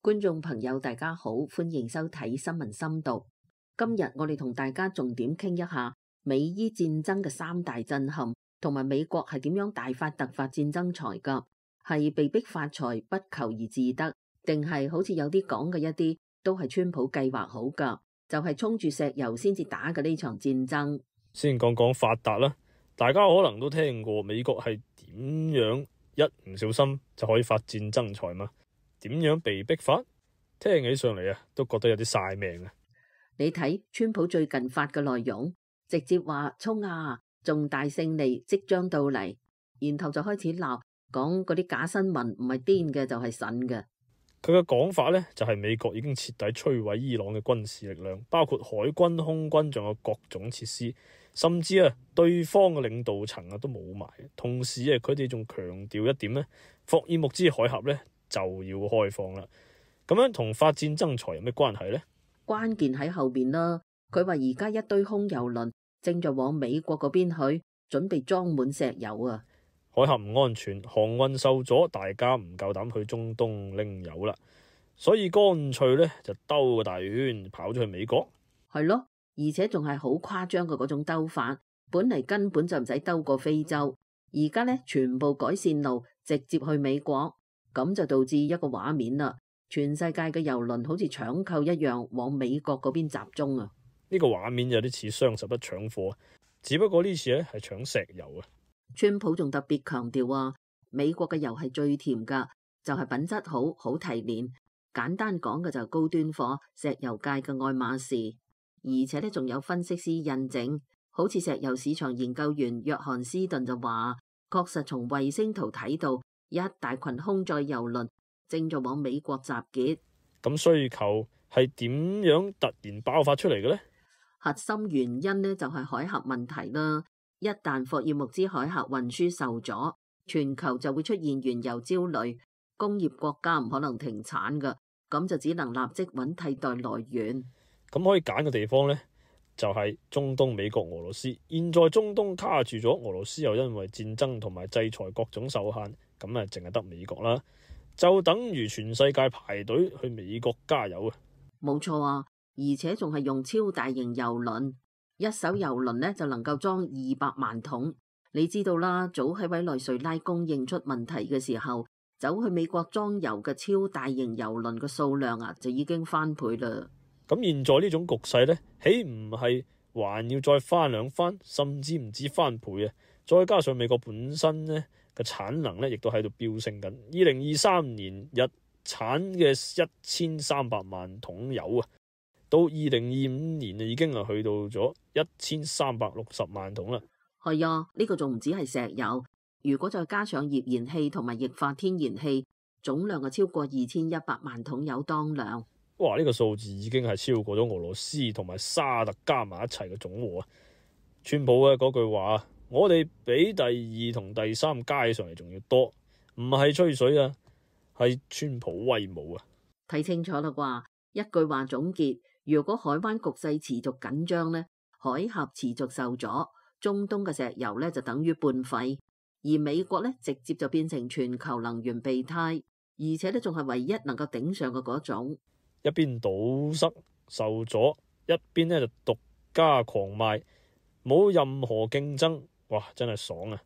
觀眾朋友大家好，歡迎收睇新聞深度。今日我哋同大家重點傾一下美伊戰爭嘅三大震撼，同埋美國係點樣大發特發戰爭財噶？係被逼發財不求而自得，定係好似有啲講嘅一啲都係川普計劃好噶？就係衝住石油先至打嘅呢場戰爭。先講講發達啦，大家可能都聽過美國係點樣一唔小心就可以發戰爭財嘛？點樣被逼發？聽起上嚟都覺得有啲晒命啊！你睇川普最近發嘅內容，直接話衝啊，重大勝利即將到嚟，然後就開始鬧，講嗰啲假新聞唔係癲嘅就係神嘅。佢嘅講法呢，就係美國已經徹底摧毀伊朗嘅軍事力量，包括海軍、空軍，仲有各種設施，甚至對方嘅領導層都冇埋。同時佢哋仲強調一點呢，霍爾木茲海峽呢就要開放啦。咁樣同發戰爭財有咩關係呢？關鍵喺後邊啦。佢話而家一堆空油輪正在往美國嗰邊去，準備裝滿石油啊！海峽唔安全，航運受阻，大家唔夠膽去中東拎油啦，所以乾脆呢就兜個大圈跑咗去美國。係咯，而且仲係好誇張嘅嗰種兜法，本嚟根本就唔使兜過非洲，而家呢全部改線路，直接去美國，咁就導致一個畫面啦。全世界嘅油輪好似搶購一樣往美國嗰邊集中啊！呢個畫面有啲似雙十一搶貨，只不過呢次係搶石油啊！川普仲特別強調啊，美國嘅油係最甜噶，就係品質好，好提煉。簡單講嘅就係高端貨，石油界嘅愛馬仕。而且呢仲有分析師印證，好似石油市場研究員約翰斯頓就話，確實從衛星圖睇到一大群空載油輪正在往美國集結。咁需求係點樣突然爆發出嚟嘅呢？核心原因呢就係海峽問題啦。一旦霍爾木茲海峽運輸受阻，全球就會出現原油焦慮，工業國家唔可能停產噶，咁就只能立即揾替代來源。咁可以揀嘅地方呢，就係中東、美國、俄羅斯。現在中東卡住咗，俄羅斯又因為戰爭同埋制裁各種受限，咁淨係得美國啦。就等於全世界排隊去美國加油啊！冇錯啊，而且仲係用超大型油輪，一艘油輪呢就能夠裝200萬桶。你知道啦，早喺委內瑞拉供應出問題嘅時候，走去美國裝油嘅超大型油輪嘅數量就已經翻倍啦。咁現在呢種局勢呢，豈唔係還要再翻兩番，甚至唔止翻倍啊！再加上美國本身呢嘅產能呢，亦都喺度飆升緊。2023年日產嘅1300萬桶油啊，到2025年已經去到咗1360萬桶啦。係啊，呢個仲唔止係石油，如果再加上頁燃氣同埋液化天然氣，總量超過2100萬桶油當量。哇！呢個數字已經係超過咗俄羅斯同埋沙特加埋一齊嘅總和啊！川普嘅嗰句話，我哋比第2同第3加上嚟仲要多，唔係吹水啊，係川普威武啊！睇清楚啦啩，一句話總結：如果海灣局勢持續緊張呢，海峽持續受阻，中東嘅石油呢就等於半廢，而美國呢直接就變成全球能源備胎，而且呢仲係唯一能夠頂上嘅嗰種。一邊堵塞受阻，一邊呢就獨家狂賣，冇任何競爭，哇！真係爽啊！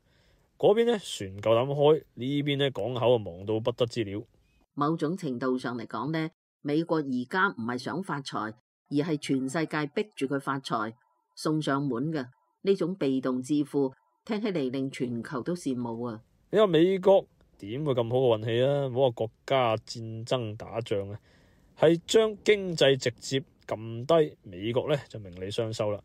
嗰邊呢船夠膽開，呢邊呢港口忙到不得之了。某種程度上嚟講呢，美國而家唔係想發財，而係全世界逼住佢發財，送上門嘅呢種被動致富，聽起嚟令全球都羨慕啊！你話美國點會咁好嘅運氣啊？唔好話國家戰爭打仗啊，係將經濟直接撳低，美國呢就名利雙收啦。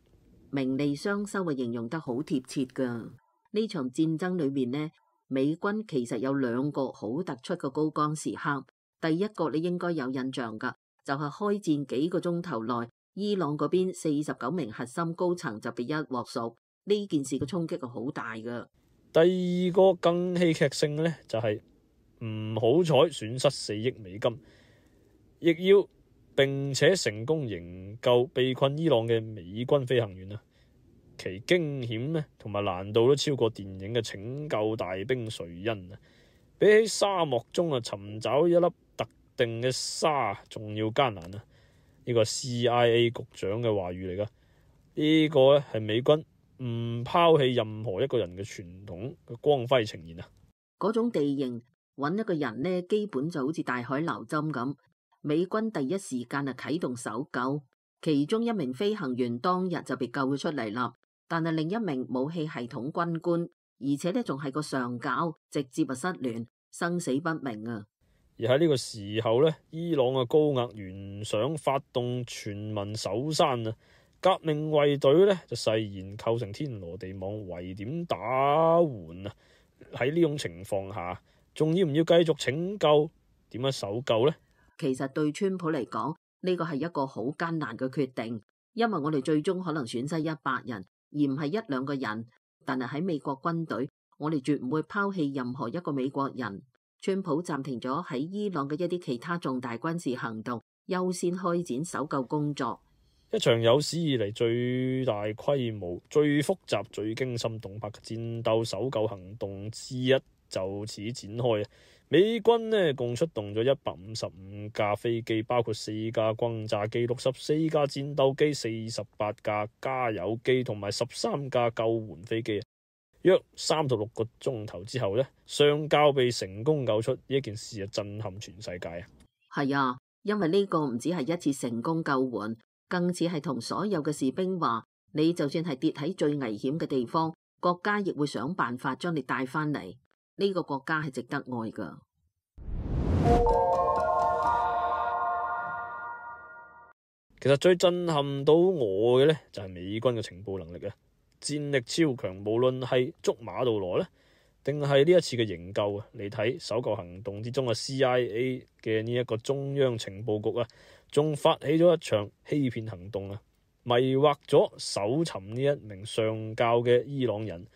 名利雙收啊，形容得好貼切噶。呢場戰爭裏面呢，美軍其實有2個好突出嘅高光時刻。第一個你應該有印象噶，就係開戰幾個鐘頭內，伊朗嗰邊49名核心高層就被一鑊熟。呢件事嘅衝擊係好大噶。第二個更戲劇性嘅呢，就係唔好彩損失4億美金，亦要並且成功營救被困伊朗嘅美軍飛行員啊！其驚險呢同埋難度都超過電影嘅拯救大兵瑞恩啊！比起沙漠中尋找一粒特定嘅沙仲要艱難啊！呢個 CIA 局長嘅話語嚟㗎。呢個咧係美軍唔拋棄任何一個人嘅傳統嘅光輝呈現啊！嗰種地形揾一個人呢，基本就好似大海撈針咁。美軍第一時間啊啟動搜救，其中一名飛行員當日就被救咗出嚟啦。但係另一名武器系統軍官，而且呢仲係個上校，直接啊失聯，生死不明啊！而喺呢個時候呢，伊朗嘅高壓原想發動全民搜山啊！革命衛隊呢就誓言構成天羅地網，圍點打援啊！喺呢種情況下，仲要唔要繼續拯救？點樣搜救呢？其實對川普嚟講，呢個係一個好艱難嘅決定，因為我哋最終可能損失100人，而唔係1、2個人。但係喺美國軍隊，我哋絕唔會拋棄任何一個美國人。川普暫停咗喺伊朗嘅一啲其他重大軍事行動，優先開展搜救工作。一場有史以嚟最大規模、最複雜、最驚心動魄嘅戰鬥搜救行動之一就此展開啊！美軍呢共出動咗155架飛機，包括4架轟炸機、64架戰鬥機、48架加油機同埋13架救援飛機。約36個鐘頭之後呢，上校被成功救出，呢件事啊震撼全世界啊！係啊，因為呢個唔止係一次成功救援，更似係同所有嘅士兵話：你就算係跌喺最危險嘅地方，國家亦會想辦法將你帶翻嚟。呢個國家係值得愛噶。其實最震撼到我嘅呢，就係美軍嘅情報能力啊！戰力超強，無論係捉馬杜羅呢，定係呢一次嘅營救啊！你睇搜救行動之中嘅 CIA 嘅呢一個中央情報局啊，仲發起咗一場欺騙行動啊，迷惑咗搜尋呢一名上校嘅伊朗人。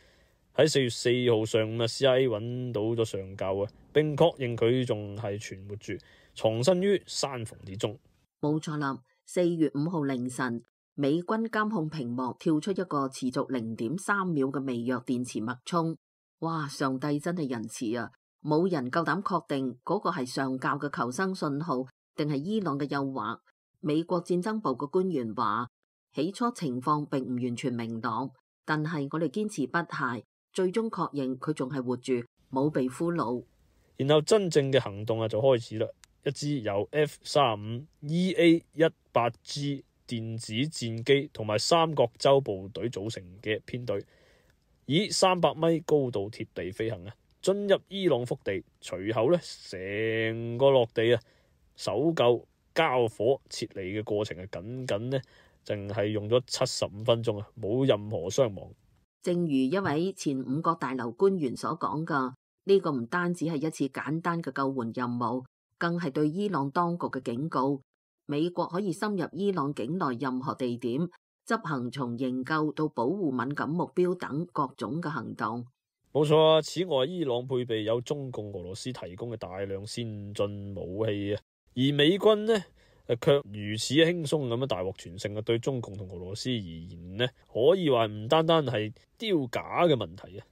喺4月4號上午啊 ，CIA 揾到咗上校啊，並確認佢仲係存活住，藏身於山縫之中。冇錯啦，4月5號凌晨，美軍監控屏幕跳出一個持續0.3秒嘅微弱電磁脈衝。哇！上帝真係仁慈啊！冇人夠膽確定嗰個係上校嘅求生信號，定係伊朗嘅誘惑。美國戰爭部嘅官員話，起初情況並唔完全明朗，但係我哋堅持不懈，最終確認佢仲係活住，冇被俘虜。然後真正嘅行動就開始啦，一支由 F-35 EA-18G 電子戰機同埋三角洲部隊組成嘅編隊，以300米高度貼地飛行啊，進入伊朗腹地。隨後呢，成個落地啊，搜救、交火、撤離嘅過程僅呢，淨係用咗75分鐘啊，冇任何傷亡。正如一位前5角大樓官員所講㗎，呢個唔單止係一次簡單嘅救援任務，更係對伊朗當局嘅警告。美國可以深入伊朗境內任何地點，執行從營救到保護敏感目標等各種嘅行動。冇錯啊！此外，伊朗配備有中共、俄羅斯提供嘅大量先進武器啊，而美軍呢卻如此輕鬆咁樣大獲全勝啊！對中共同俄羅斯而言呢，可以話唔單單係丟架嘅問題啊！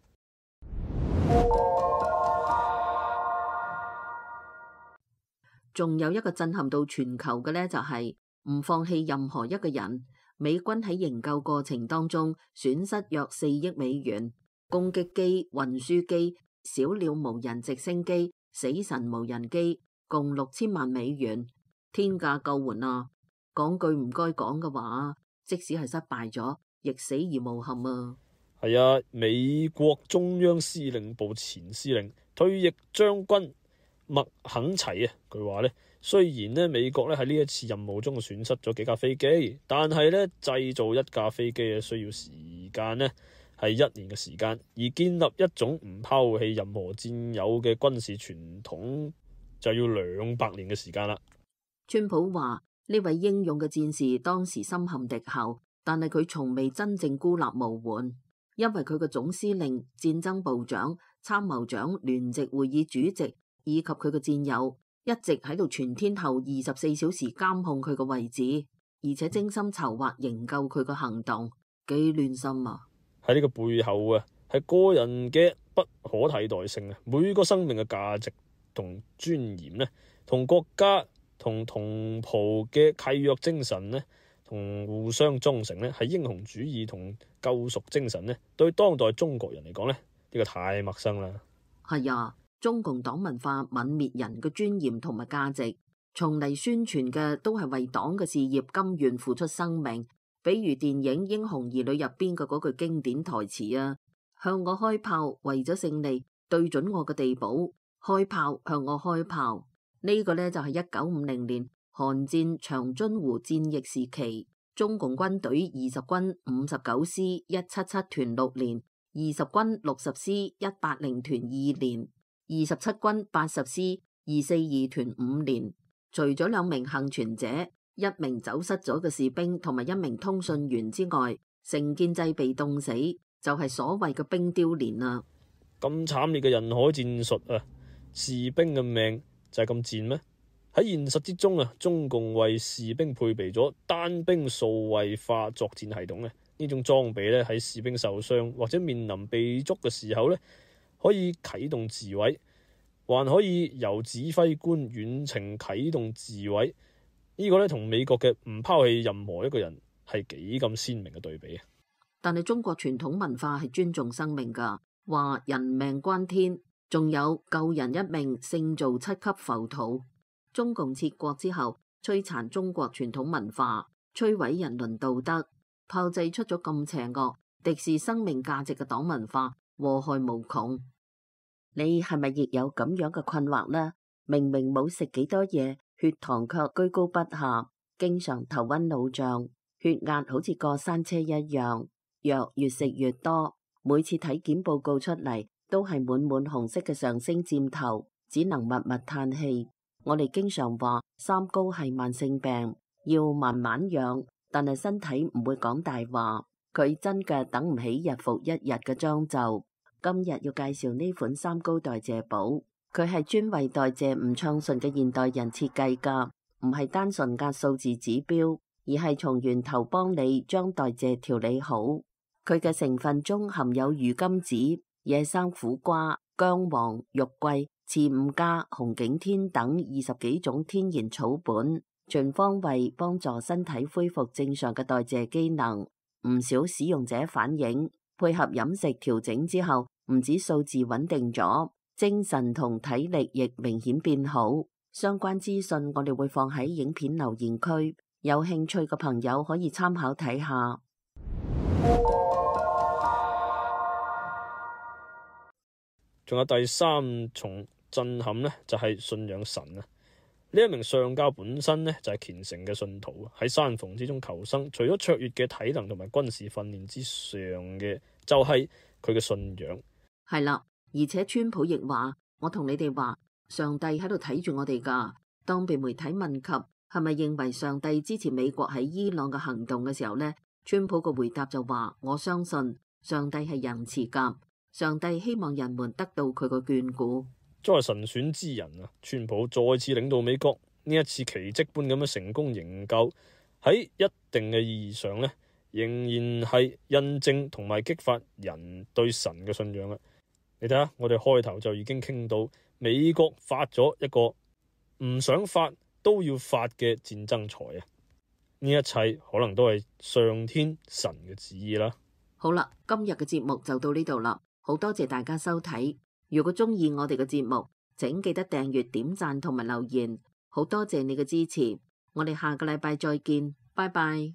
仲有一個震撼到全球嘅呢，就係唔放棄任何一個人。美軍喺營救過程當中損失約4億美元，攻擊機、運輸機、小鳥無人直升機、死神無人機，共6000萬美元。天價救援啊！講句唔該講嘅話，即使係失敗咗，亦死而無憾啊！係啊，美國中央司令部前司令、退役將軍麥肯齊啊，佢話呢，雖然呢美國呢喺呢一次任務中損失咗幾架飛機，但係呢製造一架飛機需要時間呢係1年嘅時間，而建立一種唔拋棄任何戰友嘅軍事傳統就要200年嘅時間啦。川普話呢位英勇嘅戰士當時深陷敵後，但係佢從未真正孤立無援，因為佢嘅總司令、戰爭部長、參謀長、聯席會議主席以及佢嘅戰友一直喺度全天候24小時監控佢嘅位置，而且精心籌劃營救佢嘅行動，幾亂心啊！喺呢個背後啊，係個人嘅不可替代性啊，每個生命嘅價值同尊嚴呢，同國家同同袍嘅契約精神呢，同互相忠誠呢，係英雄主義同救贖精神呢，對當代中國人嚟講呢，呢個太陌生啦。係啊，中共黨文化泯滅人嘅尊嚴同埋價值，從嚟宣傳嘅都係為黨嘅事業甘願付出生命。比如電影《英雄兒女》入邊嘅嗰句經典台詞啊，向我開炮，為咗勝利，對準我嘅地堡，開炮向我開炮。呢個呢，就係1950年韓戰長津湖戰役時期，中共軍隊20軍59師177團6連，20軍60師180團2連，27軍80師242團5連。除咗2名幸存者、1名走失咗嘅士兵同埋1名通訊員之外，成建制被凍死，就係所謂嘅冰雕連啊！咁慘烈嘅人海戰術啊，士兵嘅命就係咁賤咩？喺現實之中啊，中共為士兵配備咗單兵數位化作戰系統咧，呢種裝備咧喺士兵受傷或者面臨被捉嘅時候咧，可以啟動自毀，還可以由指揮官遠程啟動自毀。呢個咧同美國嘅唔拋棄任何一個人係幾咁鮮明嘅對比啊！但係中國傳統文化係尊重生命㗎，話人命關天，仲有救人一命勝造7級浮屠。中共撤國之後，摧殘中國傳統文化，摧毀人倫道德，炮製出咗咁邪惡、敵視生命價值嘅黨文化，禍害無窮。你係咪亦有咁樣嘅困惑呢？明明冇食幾多嘢，血糖卻居高不下，經常頭暈腦脹，血壓好似過山車一樣，藥越食越多，每次體檢報告出嚟都係滿滿紅色嘅上升箭頭，只能默默嘆氣。我哋經常話三高係慢性病，要慢慢養，但係身體唔會講大話，佢真嘅等唔起日復一日嘅將就。今日要介紹呢款三高代謝寶，佢係專為代謝唔暢順嘅現代人設計㗎，唔係單純壓數字指標，而係從源頭幫你將代謝調理好。佢嘅成分中含有魚甘子、野生苦瓜、薑黃、肉桂、刺五加、紅景天等20幾種天然草本，全方位幫助身體恢復正常嘅代謝機能。唔少使用者反映，配合飲食調整之後，唔止數字穩定咗，精神同體力亦明顯變好。相關資訊我哋會放喺影片留言區，有興趣嘅朋友可以參考睇下。仲有第三重震撼呢，就係信仰神啊！呢一名上校本身呢，就係虔誠嘅信徒，喺山縫之中求生，除咗卓越嘅體能同埋軍事訓練之上嘅，就係佢嘅信仰。係啦，而且川普亦話：我同你哋話，上帝喺度睇住我哋㗎。當被媒體問及係咪認為上帝支持美國喺伊朗嘅行動嘅時候呢，川普個回答就話：我相信上帝係仁慈㗎。上帝希望人們得到佢個眷顧。作為神選之人啊，川普再次領導美國，呢一次奇蹟般咁樣成功營救，喺一定嘅意義上呢，仍然係印證同埋激發人對神嘅信仰啊！你睇下，我哋開頭就已經傾到美國發咗一個唔想發都要發嘅戰爭財啊！呢一切可能都係上天神嘅旨意啦。好啦，今日嘅節目就到呢度啦。好多謝大家收睇，如果中意我哋嘅節目，請記得訂閱、點讚同埋留言，好多謝你嘅支持，我哋下個禮拜再見，拜拜。